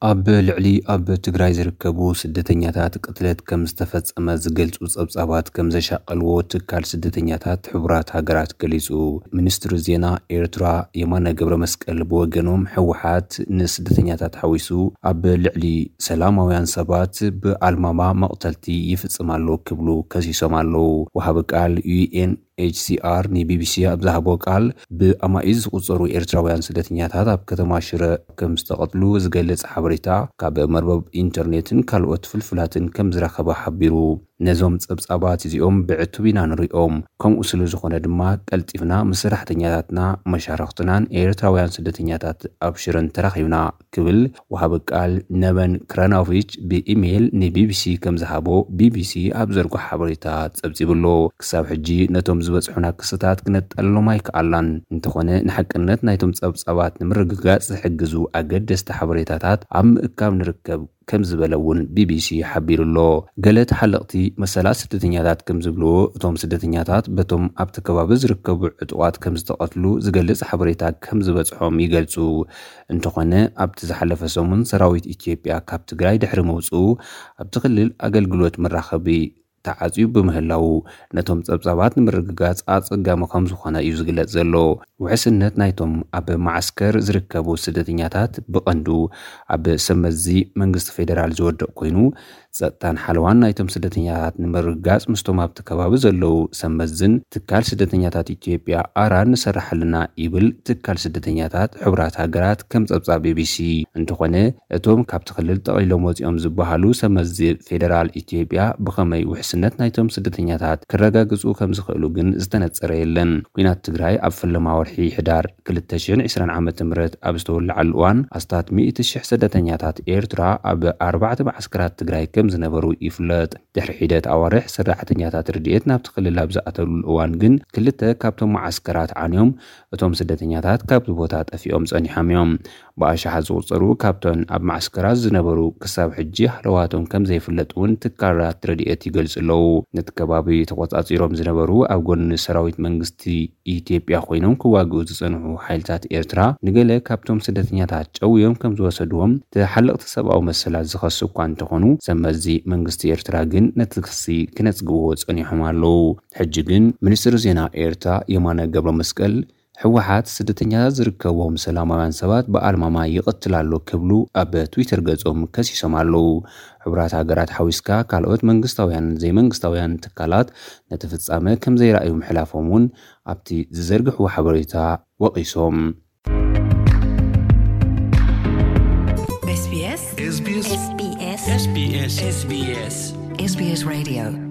ኣብ ልዕሊ ኣብ ትግራይ ዝርከቡ ስደተኛታት ቅትለት ከም ዝተፈጸመ ዝገልጹ ጸብጻባት ከም ዘሻቐልዎ ትካል ስደተኛታት ሕቡራት ሃገራት ገሊጹ። ሚኒስትሪ ዜና ኤርትራ የማነ ገብረ መስቀል ብወገኖም፣ ህወሓት ንስደተኛታት ሓዊሱ ኣብ ልዕሊ ሰላማውያን ሰባት ብኣልማማ መቕተልቲ ይፍጽም ኣሎ ክብሉ ከሲሶም ኣለዉ። ወሃቢ ቃል ዩ ኤን ኤች ሲ ኣር ንቢቢሲ ኣብ ዝሃቦ ቃል፣ ብኣማኢት ዝቑጸሩ ኤርትራውያን ስደተኛታት ኣብ ከተማ ሽረ ከም ዝተቐትሉ ዝገልጽ ሓበሬታ ካብ መርበብ ኢንተርኔትን ካልኦት ፍልፍላትን ከም ዝረኸበ ሓቢሩ። ነዞም ጸብጻባት እዚኦም ብዕቱብ ኢና ንሪኦም፣ ከምኡ ስለ ዝኾነ ድማ ቀልጢፍና ምስ ሰራሕተኛታትና መሻርኽትናን ኤርትራውያን ስደተኛታት ኣብ ሽረን ተራኺብና ክብል ወሃቢ ቃል ነበን ክራናቪች ብኢሜይል ንቢቢሲ ከም ዝሃቦ ቢቢሲ ኣብ ዘርጎ ሓበሬታ ጸብጺቡ ኣሎ። ክሳብ ሕጂ ነቶም ዝበጽሑና ክስታት ክነጠልሎም ኣይከኣልናን። እንተኾነ ንሓቅነት ናይቶም ጸብጻባት ንምርግጋጽ ዝሕግዙ ኣገደስቲ ሓበሬታታት ኣብ ምእካብ ንርከብ ከም ዝበለ እውን ቢቢሲ ሓቢሩ ኣሎ። ገለ ተሓለቕቲ መሰላት ስደተኛታት ከም ዝብልዎ፣ እቶም ስደተኛታት በቶም ኣብቲ ከባቢ ዝርከቡ ዕጡቓት ከም ዝተቐትሉ ዝገልጽ ሓበሬታ ከም ዝበጽሖም ይገልጹ። እንተኾነ ኣብቲ ዝሓለፈ ሰሙን ሰራዊት ኢትዮጵያ ካብ ትግራይ ድሕሪ ምውፅኡ ኣብቲ ክልል ኣገልግሎት መራኸቢ ተዓፅዩ ብምህላዉ ነቶም ጸብጻባት ንምርግጋጽ ኣጸጋሚ ከም ዝኾነ እዩ ዝግለጽ ዘሎ። ውሕስነት ናይቶም ኣብ መዓስከር ዝርከቡ ስደተኛታት ብቐንዱ ኣብ ሰመዚ መንግስቲ ፌደራል ዝወድቕ ኮይኑ፣ ጸጥታን ሓለዋን ናይቶም ስደተኛታት ንምርግጋጽ ምስቶም ኣብቲ ከባቢ ዘለዉ ሰመዝን ትካል ስደተኛታት ኢትዮጵያ ኣራን ንሰርሕ ኣለና ይብል ትካል ስደተኛታት ሕቡራት ሃገራት ከም ጸብጻብ ቢቢሲ። እንተኾነ እቶም ካብቲ ክልል ጠቕሊሎም ወጺኦም ዝበሃሉ ሰመዚ ፌደራል ኢትዮጵያ ብኸመይ ውሕስነት ናይቶም ስደተኛታት ክረጋግጹ ከም ዝኽእሉ ግን ዝተነጸረ የለን። ኲናት ትግራይ ኣብ ፈለማ ወርሒ ሕዳር ክልተ ሽሕን ዕስራን ዓመተ ምህረት ኣብ ዝተወለዓሉ እዋን ኣስታት ሚእቲ ሽሕ ስደተኛታት ኤርትራ ኣብ ኣርባዕተ መዓስከራት ትግራይ ከም ዝነበሩ ይፍለጥ። ድሕሪ ሒደት ኣዋርሕ ሰራሕተኛታት ረድኤት ናብቲ ክልል ኣብ ዝኣተሉ እዋን ግን ክልተ ካብቶም መዓስከራት ዓንዮም እቶም ስደተኛታት ካብቲ ቦታ ጠፊኦም ጸኒሖም እዮም። ብኣሽሓት ዝቑጸሩ ካብተን ኣብ መዓስከራት ዝነበሩ ክሳብ ሕጂ ሃለዋቶም ከም ዘይፍለጥ እውን ትካላት ረድኤት ይገልጹ ኣለዉ። ነቲ ከባቢ ተቖጻጺሮም ዝነበሩ ኣብ ጎኒ ሰራዊት መንግስቲ ኢትዮጵያ ኮይኖም ክዋግኡ ዝጸንሑ ሓይልታት ኤርትራ ንገለ ካብቶም ስደተኛታት ጨውዮም ከም ዝወሰድዎም ተሓለቕቲ ሰብኣዊ መሰላት ዝኸሱ እኳ እንተኾኑ፣ ሰመዚ መንግስቲ ኤርትራ ግን ነቲ ክሲ ክነጽግዎ ጸኒሖም ኣለዉ። ሕጂ ግን ሚኒስትሪ ዜና ኤርትራ የማነ ገብረ መስቀል፣ ህወሓት ስደተኛታት ዝርከብዎም ሰላማውያን ሰባት ብኣልማማ ይቕትል ኣሎ ክብሉ ኣብ ትዊተር ገጾም ከሲሶም ኣለዉ። ሕቡራት ሃገራት ሓዊስካ ካልኦት መንግስታውያን ዘይመንግስታውያን ትካላት ነቲ ፍጻመ ከም ዘይረኣዩ ምሕላፎም እውን ኣብቲ ዝዘርግሕዎ ሓበሬታ ወቒሶም። SBS SBS SBS SBS SBS SBS Radio